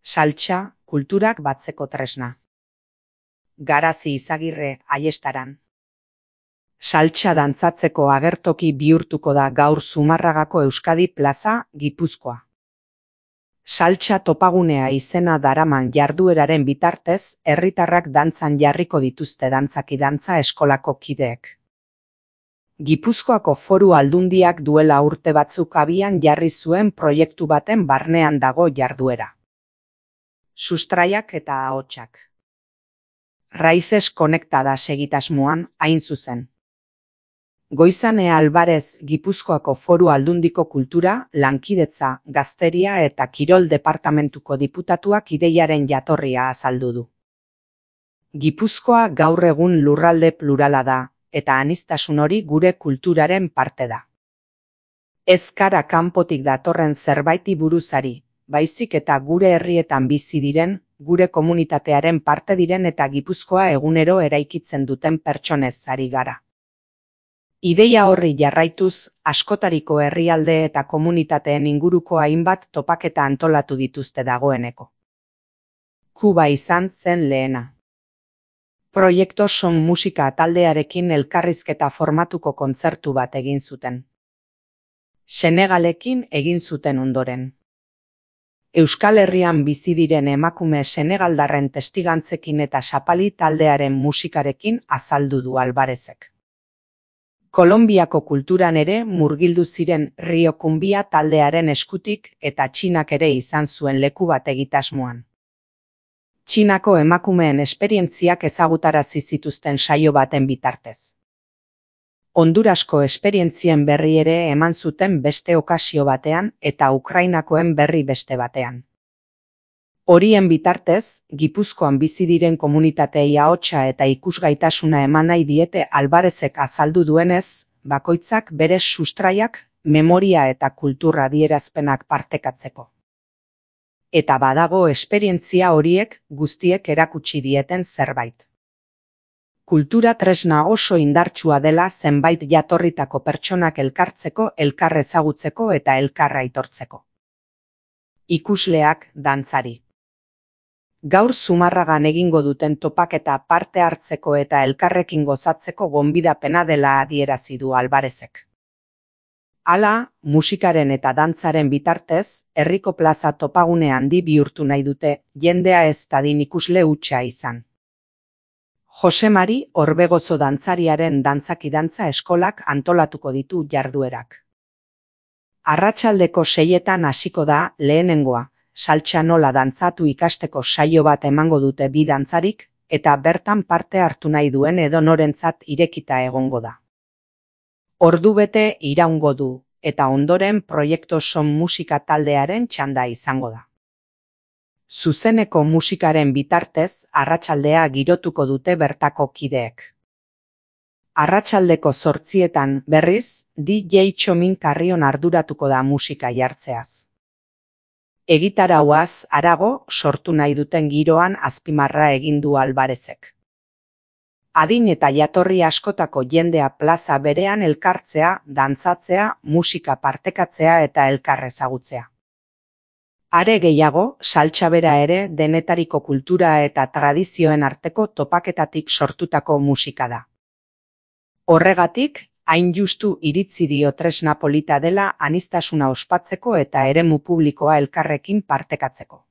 Saltsa, kulturak batzeko tresna. Garazi Izagirre, Aiestaran. Saltsa dantzatzeko agertoki bihurtuko da gaur Zumarragako Euskadi Plaza, Gipuzkoa. Saltsa topagunea izena daraman jardueraren bitartez, herritarrak dantzan jarriko dituzte dantzaki dantza eskolako kideek. Gipuzkoako Foru Aldundiak duela urte batzuk abian jarri zuen proiektu baten barnean dago jarduera. Sustraiak eta ahotsak. Raíces Conectadas egitasmoan, hain zuzen. Goizane Alvarez Gipuzkoako Foru Aldundiko Kultura, Lankidetza, Gazteria eta Kirol Departamentuko diputatuak ideiaren jatorria azaldu du. Gipuzkoa gaur egun lurralde plurala da, eta aniztasun hori gure kulturaren parte da. Ez gara kanpotik datorren zerbaiti buruzari, baizik eta gure herrietan bizi diren, gure komunitatearen parte diren eta Gipuzkoa egunero eraikitzen duten pertsonez ari gara. Ideia horri jarraituz, askotariko herrialde eta komunitateen inguruko hainbat topaketa antolatu dituzte dagoeneko. Kuba izan zen lehena. Proiektu Son Musika taldearekin elkarrizketa formatuko kontzertu bat egin zuten. Senegalekin egin zuten ondoren. Euskal Herrian bizi diren emakume senegaldarren testigantzekin eta Sapali taldearen musikarekin azaldu du Alvarezek. Kolonbiako kulturan ere murgildu ziren Rio Kumbia taldearen eskutik eta Txinak ere izan zuen leku bat egitasmoan. Txinako emakumeen esperientziak ezagutarazi zituzten saio baten bitartez. Hondurasko esperientzien berri ere eman zuten beste okasio batean eta Ukrainakoen berri beste batean. Horien bitartez, Gipuzkoan bizi diren komunitateei ahotsa eta ikusgaitasuna eman nahi diete Alvarezek azaldu duenez, bakoitzak bere sustraiak, memoria eta kultura adierazpenak partekatzeko. Eta badago esperientzia horiek guztiek erakutsi dieten zerbait. Kultura tresna oso indartsua dela zenbait jatorritako pertsonak elkartzeko, elkar ezagutzeko eta elkar aitortzeko. Ikusleak, dantzari. Gaur Zumarragan egingo duten topaketa parte hartzeko eta elkarrekin gozatzeko gonbidapena dela adierazi du Alvarezek. Hala, musikaren eta dantzaren bitartez, herriko plaza topagune handi bihurtu nahi dute, jendea ez dadin ikusle hutsa izan. Jose Mari Orbegozo dantzariaren dantzaki dantza eskolak antolatuko ditu jarduerak. Arratsaldeko 6etan hasiko da lehenengoa, saltsa nola dantzatu ikasteko saio bat emango dute bi dantzarik, eta bertan parte hartu nahi duen edonorentzat irekita egongo da. Ordubete iraungo du, eta ondoren Proiektu Son Musika taldearen txanda izango da. Zuzeneko musikaren bitartez, arratsaldea girotuko dute bertako kideek. Arratsaldeko 8etan, berriz, DJ Txomin Karrion arduratuko da musika jartzeaz. Egitarauaz harago sortu nahi duten giroan azpimarra egin du Alvarezek. Adin eta jatorri askotako jendea plaza berean elkartzea, dantzatzea, musika partekatzea eta elkar ezagutzea. Are gehiago, saltsa bera ere denetariko kultura eta tradizioen arteko topaketatik sortutako musika da. Horregatik, hain justu iritzi dio tresna polita dela aniztasuna ospatzeko eta eremu publikoa elkarrekin partekatzeko.